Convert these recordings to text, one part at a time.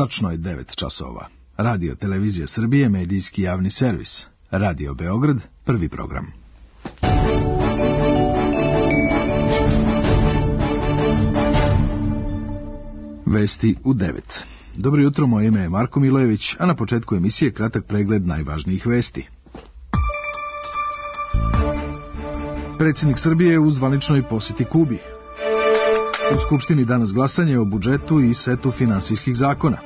Tačno je 9 časova. Radio Televizija Srbije, medijski javni servis. Radio Beograd, prvi program. Vesti u 9. Dobro jutro, moje ime je Marko Milojević, a na početku emisije kratak pregled najvažnijih vesti. Predsjednik Srbije u zvaničnoj posjeti Kubi. U Skupštini danas glasanje o budžetu i setu finansijskih zakona.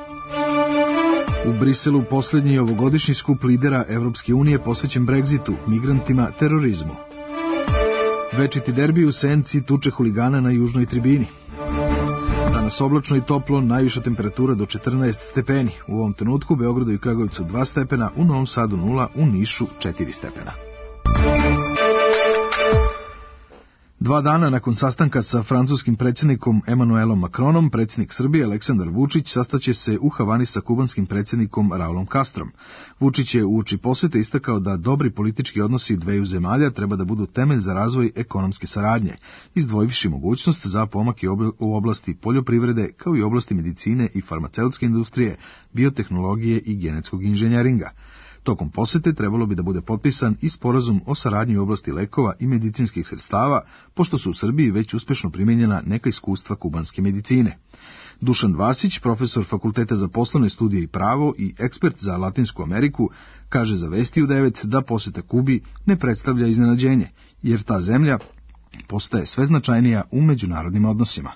U Briselu posljednji ovogodišnji skup lidera Evropske unije posvećen Brexitu, migrantima, terorizmu. Večiti derbi u Senci tuče huligana na južnoj tribini. Danas oblačno i toplo, najviša temperatura do 14 stepeni. U ovom trenutku u Beogradu i Kragujevcu 2 stepena, u Novom Sadu 0, u Nišu 4 stepena. 2 dana nakon sastanka sa francuskim predsjednikom Emmanuelom Macronom, predsjednik Srbije Aleksandar Vučić sastaće se u Havani sa kubanskim predsjednikom Raulom Castrom. Vučić je uoči posjete istakao da dobri politički odnosi dveju zemalja treba da budu temelj za razvoj ekonomske saradnje, izdvojivši mogućnost za pomak u oblasti poljoprivrede, kao i oblasti medicine i farmaceutske industrije, biotehnologije i genetskog inženjeringa. Tokom posjete trebalo bi da bude potpisan i sporazum o saradnji u oblasti lekova i medicinskih sredstava, pošto su u Srbiji već uspešno primijenjena neka iskustva kubanske medicine. Dušan Vasić, profesor Fakulteta za poslovne studije i pravo i ekspert za Latinsku Ameriku, kaže za Vesti u 9 da posjeta Kubi ne predstavlja iznenađenje, jer ta zemlja postaje sve značajnija u međunarodnim odnosima.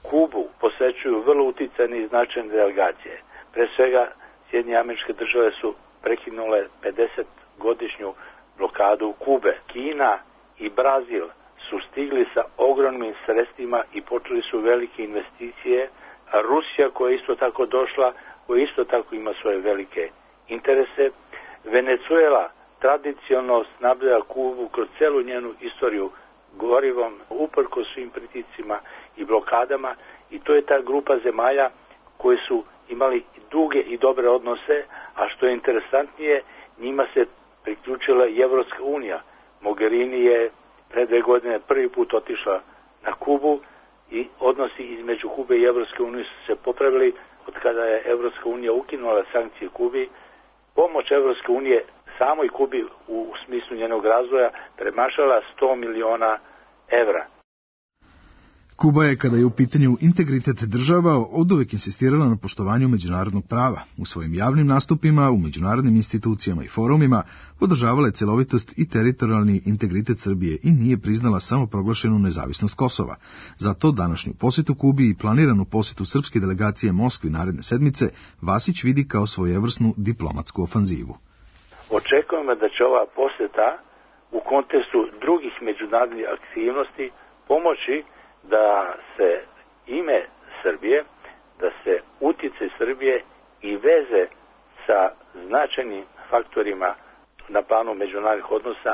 Kubu posećuju vrlo uticajne i značajne delegacije. Pre svega, Sjedinjene Američke Države su prekinule 50-godišnju blokadu Kube. Kina i Brazil su stigli sa ogromnim sredstvima i počeli su velike investicije, a Rusija koja je isto tako došla, koja isto tako ima svoje velike interese. Venezuela tradicionalno snabdeva Kubu kroz celu njenu istoriju gorivom, uprko svim pritiscima i blokadama, i to je ta grupa zemalja koje su imali duge i dobre odnose, a što je interesantnije, njima se priključila i Evropska unija. Mogherini je pre 2 godine prvi put otišla na Kubu i odnosi između Kube i Evropske unije su se popravili od kada je Evropska unija ukinula sankcije Kubi. Pomoć Evropske unije samoj Kubi u smislu njenog razvoja premašala 100 miliona evra. Kuba je, kada je u pitanju integritet država, oduvek insistirala na poštovanju međunarodnog prava. U svojim javnim nastupima, u međunarodnim institucijama i forumima podržavala je celovitost i teritorijalni integritet Srbije i nije priznala samoproglašenu nezavisnost Kosova. Zato današnju posjetu Kubi i planiranu posjetu srpske delegacije Moskvi naredne sedmice Vasić vidi kao svojevrsnu diplomatsku ofanzivu. Očekujemo da će ova posjeta u kontekstu drugih međunarodnih aktivnosti pomoći da se ime Srbije, da se utjecaj Srbije i veze sa značajnim faktorima na planu međunarodnih odnosa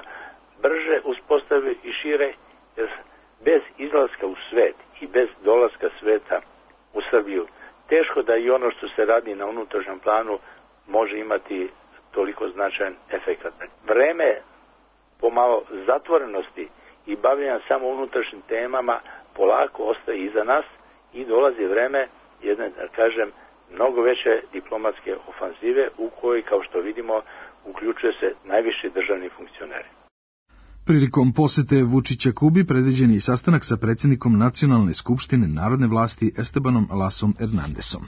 brže uspostave i šire, jer bez izlaska u svet i bez dolaska sveta u Srbiju teško da i ono što se radi na unutrašnjem planu može imati toliko značajan efekat. Vreme pomalo zatvorenosti i bavljenja samo unutrašnjim temama polako ostaje iza nas i dolazi vreme jedne, da kažem, mnogo veće diplomatske ofanzive u kojoj, kao što vidimo, uključuje se najviši državni funkcioneri. Prilikom posete Vučića Kubi predviđen je i sastanak sa predsjednikom Nacionalne skupštine narodne vlasti Estebanom Lasom Hernandesom.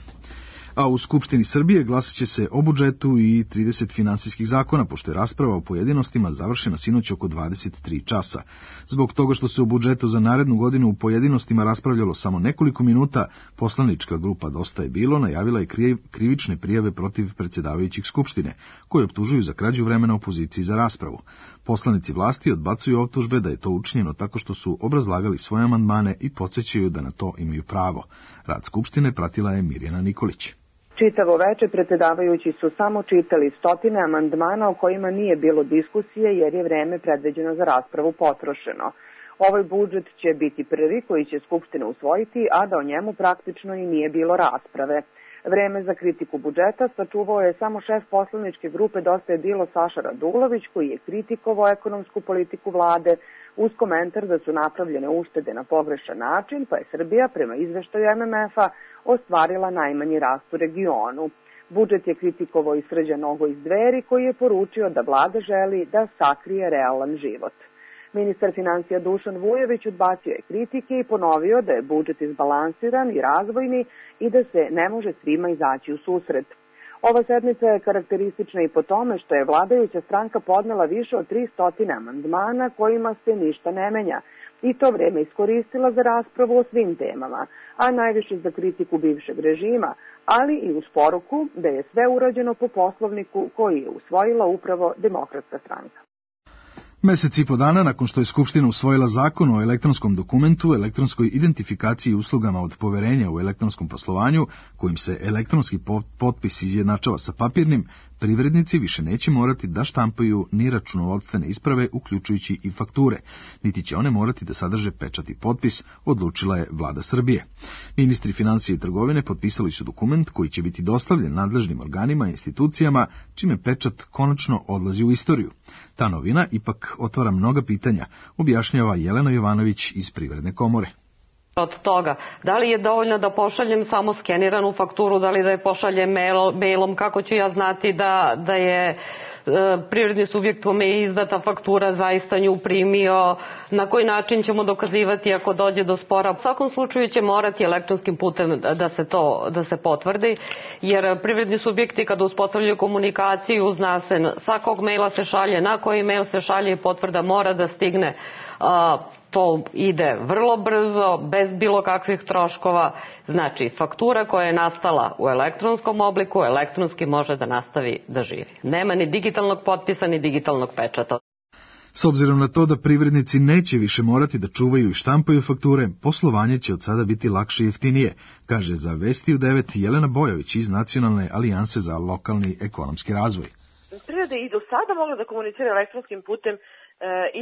A u Skupštini Srbije glasat će se o budžetu i 30 finansijskih zakona, pošto je rasprava o pojedinostima završena sinoć oko 23 časa. Zbog toga što se u budžetu za narednu godinu u pojedinostima raspravljalo samo nekoliko minuta, poslanička grupa Dosta je bilo najavila je krivične prijave protiv predsjedavajućih Skupštine, koji optužuju za krađu vremena opoziciji za raspravu. Poslanici vlasti odbacuju optužbe da je to učinjeno tako što su obrazlagali svoje amandmane i podsjećaju da na to imaju pravo. Rad Skupštine pratila je Mirjana Nikolić. Čitavo veče predsjedavajući su samo čitali stotine amandmana o kojima nije bilo diskusije jer je vreme predviđeno za raspravu potrošeno. Ovaj budžet će biti prvi koji će Skupština usvojiti, a da o njemu praktično i nije bilo rasprave. Vreme za kritiku budžeta sačuvao je samo šef poslaničke grupe Dosta je bilo Saša Radulović, koji je kritikovao ekonomsku politiku vlade uz komentar da su napravljene uštede na pogrešan način, pa je Srbija prema izveštaju MMF-a ostvarila najmanji rast u regionu. Budžet je kritikovao i Srđan Nogo iz Dveri, koji je poručio da vlada želi da sakrije realan život. Ministar financija Dušan Vujović odbacio je kritike i ponovio da je budžet izbalansiran i razvojni i da se ne može svima izaći u susret. Ova sednica je karakteristična i po tome što je vladajuća stranka podnela više od 300 amandmana kojima se ništa ne menja i to vreme iskoristila za raspravu o svim temama, a najviše za kritiku bivšeg režima, ali i uz poruku da je sve urađeno po Poslovniku koji je usvojila upravo Demokratska stranka. Mesec i po dana nakon što je Skupština usvojila zakon o elektronskom dokumentu, elektronskoj identifikaciji i uslugama od poverenja u elektronskom poslovanju, kojim se elektronski potpis izjednačava sa papirnim, privrednici više neće morati da štampaju ni računovodstvene isprave, uključujući i fakture, niti će one morati da sadrže pečat i potpis, odlučila je vlada Srbije. Ministri financije i trgovine potpisali su dokument koji će biti dostavljen nadležnim organima i institucijama, čime pečat konačno odlazi u istoriju. Ta novina ipak otvara mnoga pitanja, objašnjava Jelena Jovanović iz Privredne komore. Od toga, da li je dovoljno da pošaljem samo skeniranu fakturu, da li da je pošaljem mailom, kako ću ja znati da je privredni subjekt kome je izdata faktura zaista nju primio, na koji način ćemo dokazivati ako dođe do spora. U svakom slučaju će morati elektronskim putem da se potvrdi, jer privredni subjekti kada uspostavljaju komunikaciju, zna se sa kog maila se šalje, na koji mail se šalje i potvrda mora da stigne. To ide vrlo brzo, bez bilo kakvih troškova. Znači, faktura koja je nastala u elektronskom obliku, elektronski može da nastavi da živi. Nema ni digitalnog potpisa, ni digitalnog pečata. S obzirom na to da privrednici neće više morati da čuvaju i štampaju fakture, poslovanje će od sada biti lakše i jeftinije, kaže za Vesti u 9 Jelena Bojović iz Nacionalne alijanse za lokalni ekonomski razvoj. Privreda i do sada mogla da komunicira elektronskim putem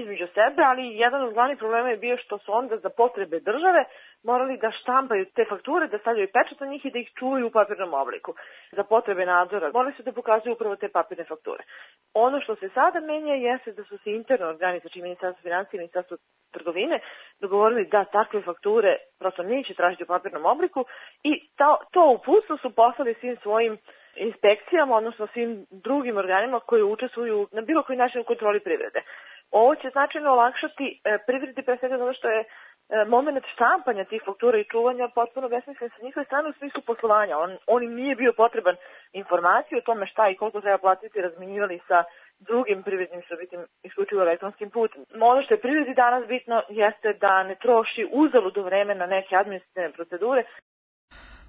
između sebe, ali jedan od glavnih problema je bio što su onda za potrebe države morali da štampaju te fakture, da stavljaju pečat na njih i da ih čuvaju u papirnom obliku. Za potrebe nadzora morali su da pokazuju upravo te papirne fakture. Ono što se sada menja jeste da su se interno organi, znači Ministarstvo financija i Ministarstvo trgovine, dogovorili da takve fakture prosto neće tražiti u papirnom obliku i to uputstvo su poslali svim svojim inspekcijama, odnosno svim drugim organima koji učestvuju na bilo koji način u kontroli privrede. Ovo će značajno olakšati privredi, pre svega zato što je moment štampanja tih faktura i čuvanja potpuno besmislen sa njihove strane u smislu poslovanja. On im nije bio potreban informaciju o tome šta i koliko treba platiti, razmenjivali sa drugim privrednim subjektima isključivo elektronskim putem. Ono što je privredi danas bitno jeste da ne troši uzaludo vreme na neke administrativne procedure.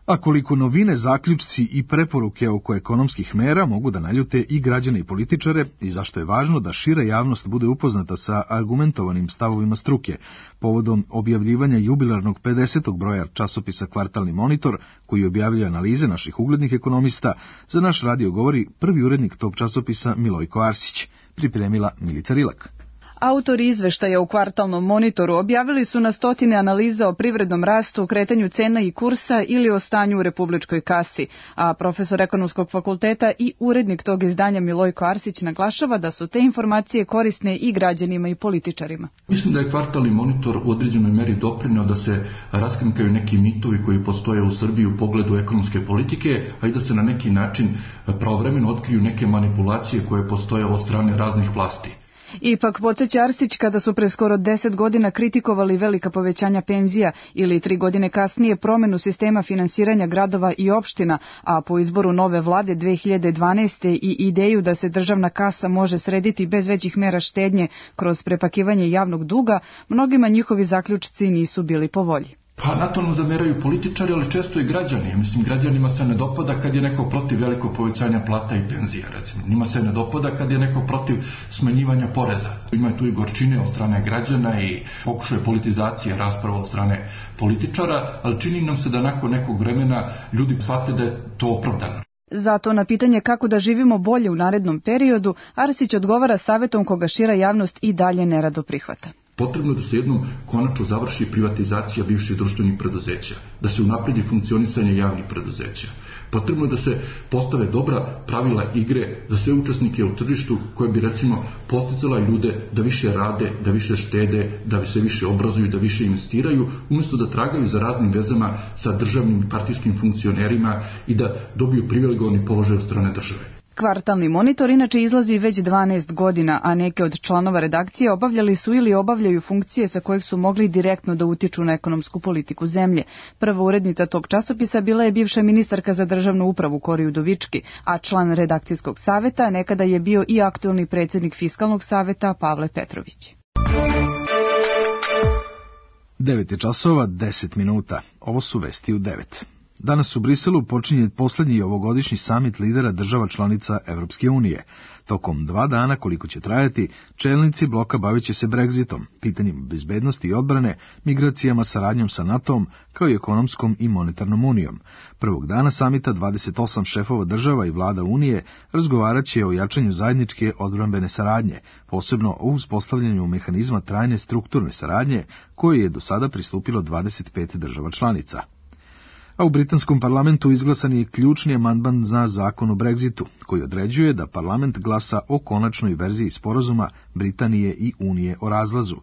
A koliko novine, zaključci i preporuke oko ekonomskih mera mogu da naljute i građane i političare i zašto je važno da šira javnost bude upoznata sa argumentovanim stavovima struke, povodom objavljivanja jubilarnog 50. broja časopisa Kvartalni monitor, koji objavljuje analize naših uglednih ekonomista, za naš radio govori prvi urednik tog časopisa Milojko Arsić, pripremila Milica Rilak. Autori izveštaja u Kvartalnom monitoru objavili su na stotine analiza o privrednom rastu, kretanju cena i kursa ili o stanju u republičkoj kasi, a profesor ekonomskog fakulteta i urednik tog izdanja Milojko Arsić naglašava da su te informacije korisne i građanima i političarima. Mislim da je Kvartalni monitor u određenoj meri doprineo da se raskrinkaju neki mitovi koji postoje u Srbiji u pogledu ekonomske politike, a i da se na neki način pravovremeno otkriju neke manipulacije koje postoje od strane raznih vlasti. Ipak, podsjeća Arsić, kada su pre skoro 10 godina kritikovali velika povećanja penzija ili 3 godine kasnije promenu sistema finansiranja gradova i opština, a po izboru nove vlade 2012. i ideju da se državna kasa može srediti bez većih mera štednje kroz prepakivanje javnog duga, mnogima njihovi zaključci nisu bili po volji. Pa na to nam zameraju političari, ali često i građani. Mislim, građanima se ne dopada kad je neko protiv velikog povećanja plata i penzija, recimo. Njima se ne dopada kad je neko protiv smanjivanja poreza. Ima tu i gorčine od strane građana i pokušaje politizacije rasprava od strane političara, ali čini nam se da nakon nekog vremena ljudi shvate da je to opravdano. Zato na pitanje kako da živimo bolje u narednom periodu, Arsić odgovara savjetom koga šira javnost i dalje nerado prihvata. Potrebno je da se jednom konačno završi privatizacija bivših društvenih preduzeća, da se unapredi funkcionisanje javnih preduzeća. Potrebno je da se postave dobra pravila igre za sve učesnike u tržištu koje bi recimo podsticala ljude da više rade, da više štede, da se više obrazuju, da više investiraju, umjesto da tragaju za raznim vezama sa državnim i partijskim funkcionerima i da dobiju privilegovani položaj od strane države. Kvartalni monitor inače izlazi već 12 godina, a neke od članova redakcije obavljali su ili obavljaju funkcije sa kojih su mogli direktno da utiču na ekonomsku politiku zemlje. Prva urednica tog časopisa bila je bivša ministarka za državnu upravu Kori Udovički, a član redakcijskog saveta nekada je bio i aktuelni predsjednik Fiskalnog saveta Pavle Petrović. 9:10. Ovo su vesti u 9. Danas u Briselu počinje posljednji ovogodišnji samit lidera država članica Evropske unije. Tokom 2 dana, koliko će trajati, čelnici bloka bavit će se Brexitom, pitanjem bezbednosti i odbrane, migracijama, saradnjom sa NATO-om, kao i ekonomskom i monetarnom unijom. Prvog dana samita 28 šefova država i vlada Unije razgovarat će o jačanju zajedničke odbrambene saradnje, posebno o uspostavljanju mehanizma trajne strukturne saradnje, koje je do sada pristupilo 25 država članica. A u britanskom parlamentu izglasan je ključni amandman za zakon o Brexitu, koji određuje da parlament glasa o konačnoj verziji sporazuma Britanije i Unije o razlazu.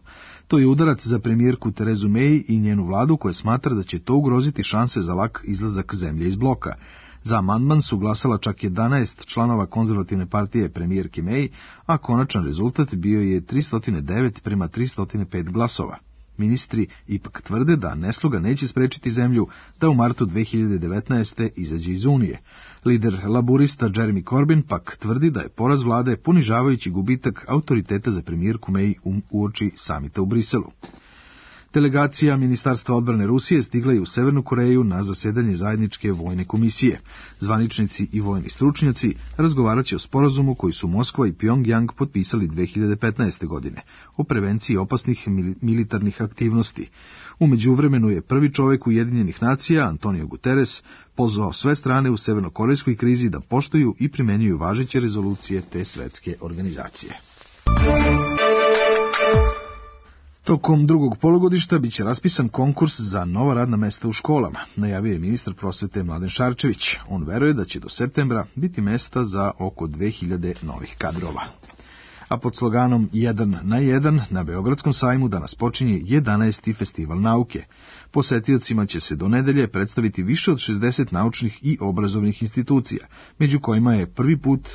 To je udarac za premijerku Terezu May i njenu vladu, koja smatra da će to ugroziti šanse za lak izlazak zemlje iz bloka. Za amandman su glasala čak 11 članova konzervativne partije premijerke May, a konačan rezultat bio je 309 prema 305 glasova. Ministri ipak tvrde da nesloga neće sprečiti zemlju da u martu 2019. izađe iz Unije. Lider laburista Jeremy Corbyn pak tvrdi da je poraz vlade ponižavajući gubitak autoriteta za premijerku May uoči samita u Briselu. Delegacija Ministarstva odbrane Rusije stigla je u Severnu Koreju na zasedanje zajedničke vojne komisije. Zvaničnici i vojni stručnjaci razgovarat će o sporazumu koji su Moskva i Pyongyang potpisali 2015. godine o prevenciji opasnih militarnih aktivnosti. U međuvremenu je prvi čovjek Ujedinjenih nacija, Antonio Guterres, pozvao sve strane u severnokorejskoj krizi da poštuju i primenjuju važeće rezolucije te svetske organizacije. Tokom drugog polugodišta biće raspisan konkurs za nova radna mesta u školama, najavio je ministar prosvete Mladen Šarčević. On veruje da će do septembra biti mesta za oko 2000 novih kadrova. A pod sloganom 1 na 1 na Beogradskom sajmu danas počinje 11. festival nauke. Posetiocima će se do nedelje predstaviti više od 60 naučnih i obrazovnih institucija, među kojima je prvi put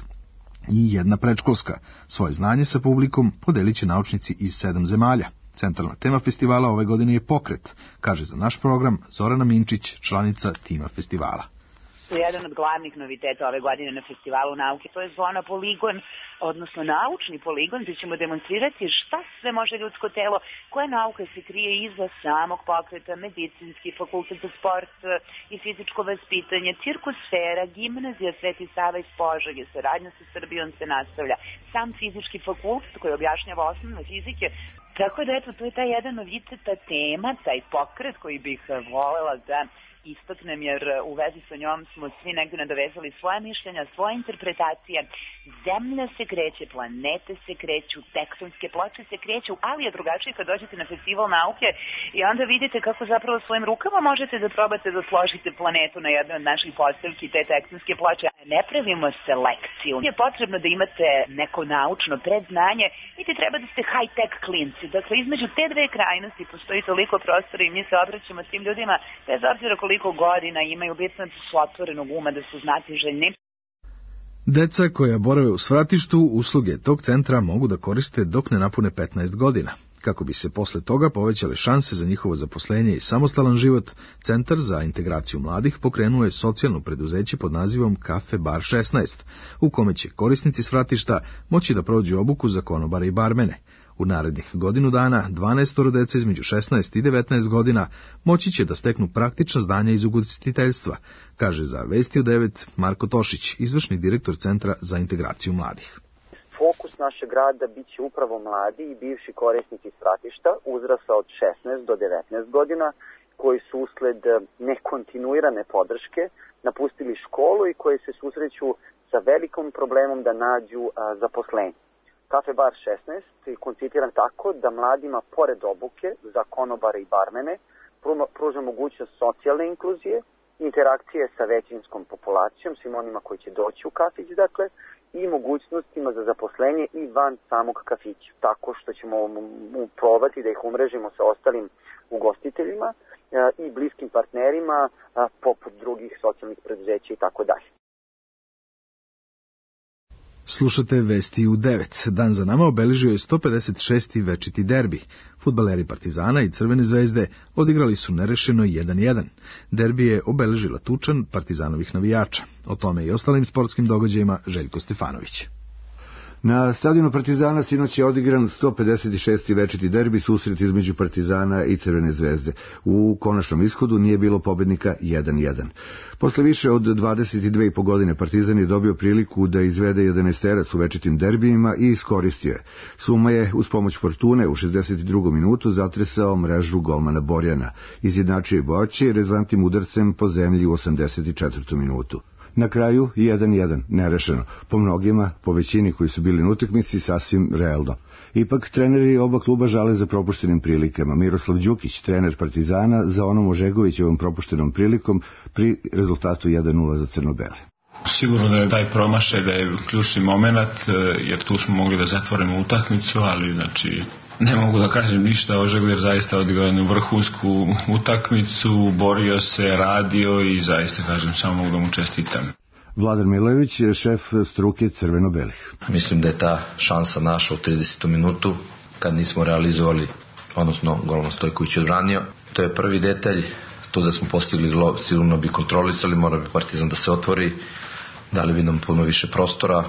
i jedna predškolska. Svoje znanje sa publikom podelit će naučnici iz 7 zemalja. Centralna tema festivala ove godine je pokret, kaže za naš program Zorana Minčić, članica tima festivala. Jedan od glavnih noviteta ove godine na festivalu nauke, to je zona poligon, odnosno naučni poligon, gdje ćemo demonstrirati šta sve može ljudsko telo, koja nauka se krije iza samog pokreta, medicinski, fakultet za sport i fizičko vaspitanje, cirkusfera, gimnazija Sveti Sava iz Požege, saradnja sa Srbijom se nastavlja, sam fizički fakultet koji objašnjava osnovne fizike. Tako da, eto, to je taj jedan novitet, ta tema, taj pokret koji bih volela da istaknem, jer u vezi sa njom smo svi negdje nadovezali svoje mišljenja, svoje interpretacije. Zemlja se kreće, planete se kreću, tektonske ploče se kreću, ali je drugačije kad dođete na festival nauke i onda vidite kako zapravo svojim rukama možete da probate da složite planetu na jednoj od naših postavki, te tektonske ploče. Ne pravimo selekciju. Je potrebno da imate neko naučno predznanje i ti treba da ste high-tech klinci. Dakle, između te dve krajnosti postoji toliko prostora i mi se obraćamo s tim ljudima, bez obzira koliko godina imaju, bitno da su otvorenog uma, da su znatiželjni. Deca koja borave u svratištu usluge tog centra mogu da koriste dok ne napune 15 godina. Kako bi se posle toga povećale šanse za njihovo zaposlenje i samostalan život, Centar za integraciju mladih pokrenuo je socijalno preduzeće pod nazivom Kafe Bar 16, u kome će korisnici svratišta moći da prođu obuku za konobare i barmene. U narednih godinu dana 12 dece između 16 i 19 godina moći će da steknu praktična znanja iz ugostiteljstva, kaže za Vesti u 9 Marko Tošić, izvršni direktor Centra za integraciju mladih. Fokus našeg rada bit će upravo mladi i bivši korisnici svratišta uzrasta od 16 do 19 godina, koji su usled nekontinuirane podrške napustili školu i koji se susreću sa velikom problemom da nađu zaposlenje. Kafe Bar 16 je koncipiran tako da mladima, pored obuke za konobare i barmene, pruža mogućnost socijalne inkluzije, interakcije sa većinskom populacijom, svim onima koji će doći u kafić, dakle, i mogućnostima za zaposlenje i van samog kafića, tako što ćemo probati da ih umrežimo sa ostalim ugostiteljima i bliskim partnerima poput drugih socijalnih preduzeća i tako dalje. Slušate Vesti u 9. Dan za nama obeležio je 156. večiti derbi. Fudbaleri Partizana i Crvene zvezde odigrali su nerešeno 1-1. Derbi je obeležila tučan Partizanovih navijača. O tome i ostalim sportskim događajima Željko Stefanović. Na stadionu Partizana sinoć je odigran 156. večiti derbi, susret između Partizana i Crvene zvezde. U konačnom ishodu nije bilo pobednika 1-1. Posle više od 22,5 godine Partizan je dobio priliku da izvede 11-terac u večitim derbijima i iskoristio je. Suma je uz pomoć Fortune u 62. minutu zatresao mrežu golmana Borjana. Izjednačio je Boći rezantnim udarcem po zemlji u 84. minutu. Na kraju 1-1, nerešeno. Po mnogima, po većini koji su bili na utakmici, sasvim realno. Ipak, treneri oba kluba žale za propuštenim prilikama. Miroslav Đukić, trener Partizana, za onom Ožegovićevom propuštenom prilikom pri rezultatu 1-0 za crno-bele. Sigurno da je taj promašaj, da je ključni moment, jer tu smo mogli da zatvorimo utakmicu, ali znači ne mogu da kažem ništa. Ožegović zaista odigrao jednu vrhunsku utakmicu, borio se, radio i zaista kažem samo mogu da mu čestitam. Vladar Milojević, šef struke crveno-belih. Mislim da je ta šansa naša u 30. minutu kad nismo realizovali, odnosno golman Stojković odbranio. To je prvi detalj, to da smo postigli gol, sigurno bi kontrolisali, mora bi Partizan da se otvori, dali bi nam puno više prostora,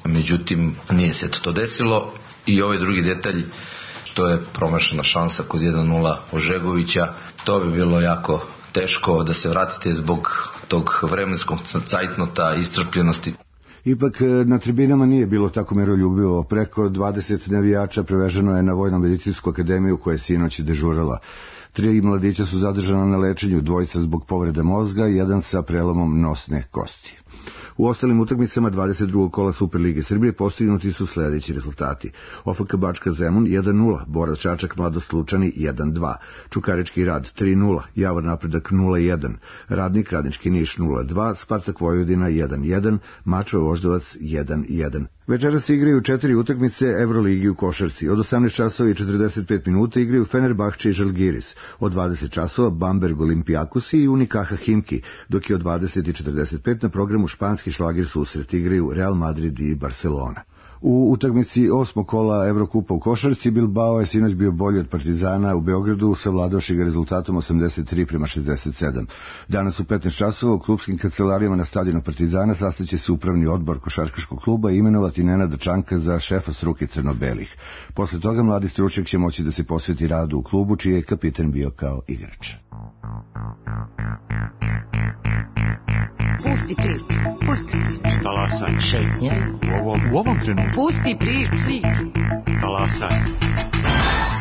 međutim nije se to desilo. I ovaj drugi detalj, to je promašena šansa kod 1-0 Ožegovića, to bi bilo jako teško da se vratite zbog tog vremenskog cajtnota, iscrpljenosti. Ipak na tribinama nije bilo tako miroljubivo. Preko 20 navijača preveženo je na Vojno-medicinsku akademiju koja je sinoć dežurala. 3 mladića su zadržana na lečenju, 2 zbog povrede mozga, 1 sa prelomom nosne kosti. U ostalim utakmicama 22. kola Superlige Srbije postignuti su sledeći rezultati. OFK Bačka Zemun 1-0, Borac Čačak Mladost Lučani 1-2, Čukarički Rad 3-0, Javor Napredak 0-1, Radnik Radnički Niš 0-2, Spartak Vojvodina 1-1, Mačva Voždovac 1-1. Večeras se igraju 4 utakmice Evroligi u košarci. Od 18 časova i 45 minuta igraju Fenerbahče i Žalgiris. Od 20 časova Bamberg Olimpijakosi i Unikaha Himki, dok je od 20:45 na programu španski šlagir susret igraju Real Madrid i Barcelona. U utakmici 8. kola Evrokupa u košarci Bilbao je sinoć bio bolji od Partizana u Beogradu, savladavši ga rezultatom 83:67. Danas u 15 časova u klubskim kancelarijama na stadionu Partizana sastaće se upravni odbor košarkaškog kluba i imenovati Nenada Čanka za šefa struke crno-belih. Posle toga mladi stručnjak će moći da se posveti radu u klubu, čiji je kapitan bio kao igrač. Pusti priču. Talasaj. Šetnja. U ovom trenutku. Pusti priču. Talasaj.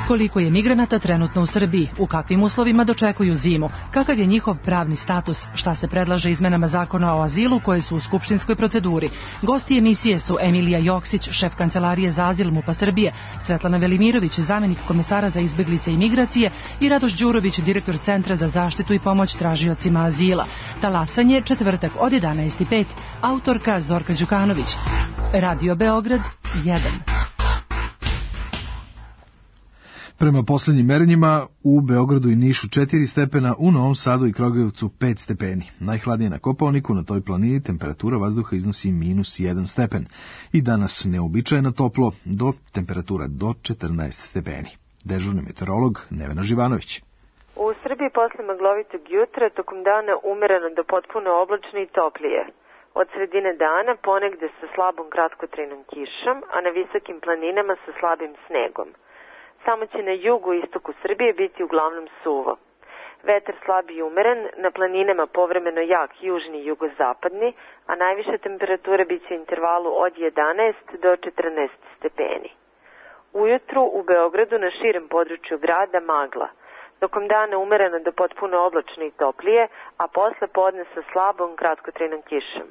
Koliko je migranata trenutno u Srbiji? U kakvim uslovima dočekuju zimu? Kakav je njihov pravni status? Šta se predlaže izmenama zakona o azilu koje su u skupštinskoj proceduri? Gosti emisije su Emilija Joksić, šef kancelarije za azil MUP-a Srbije, Svetlana Velimirović, zamenik komesara za izbeglice i migracije i Radoš Đurović, direktor Centra za zaštitu i pomoć tražiocima azila. Talasanje, četvrtak od 11:05. Autorka Zorka Đukanović. Radio Beograd 1. Prema poslednjim merenjima u Beogradu i Nišu 4 stepena, u Novom Sadu i Kragujevcu 5 stepeni. Najhladnije na Kopaoniku, na toj planini temperatura vazduha iznosi -1 stepen. I danas neobičajno toplo, do temperatura do 14 stepeni. Dežurni meteorolog Nevena Živanović. U Srbiji posle maglovitog jutra tokom dana umereno do potpuno oblačno i toplije. Od sredine dana ponegde sa slabom kratkotrajnom kišom, a na visokim planinama sa slabim snegom. Samo će na jugu i istoku Srbije biti uglavnom suvo. Vetar slab i umeren, na planinama povremeno jak južni i jugozapadni, a najviša temperatura biće u intervalu od 11 do 14 stepeni. Ujutru u Beogradu na širem području grada magla. Tokom dana umereno do potpuno oblačno i toplije, a posle podne sa slabom kratkotrajnom kišom.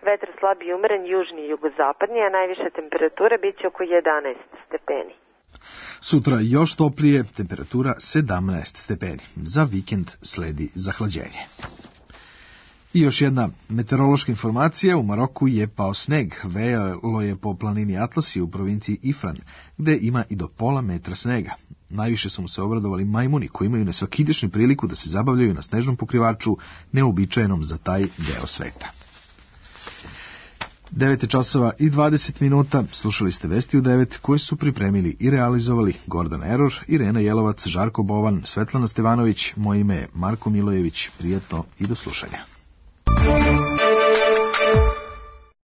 Vetar slab i umeren, južni i jugozapadni, a najviša temperatura biće oko 11 stepeni. Sutra još toplije, temperatura 17 stepeni. Za vikend sledi zahlađenje. I još jedna meteorološka informacija, u Maroku je pao sneg, vejalo je po planini Atlasi u provinciji Ifran, gde ima i do pola metra snega. Najviše su mu se obradovali majmuni koji imaju nesvakidašnju priliku da se zabavljaju na snežnom pokrivaču, neobičajenom za taj deo sveta. 9:20 slušali ste Vesti u 9 koje su pripremili i realizovali Gordana Eror, Irena Jelovac, Žarko Bovan, Svetlana Stevanović, moje ime je Marko Milojević. Prijatno i do slušanja.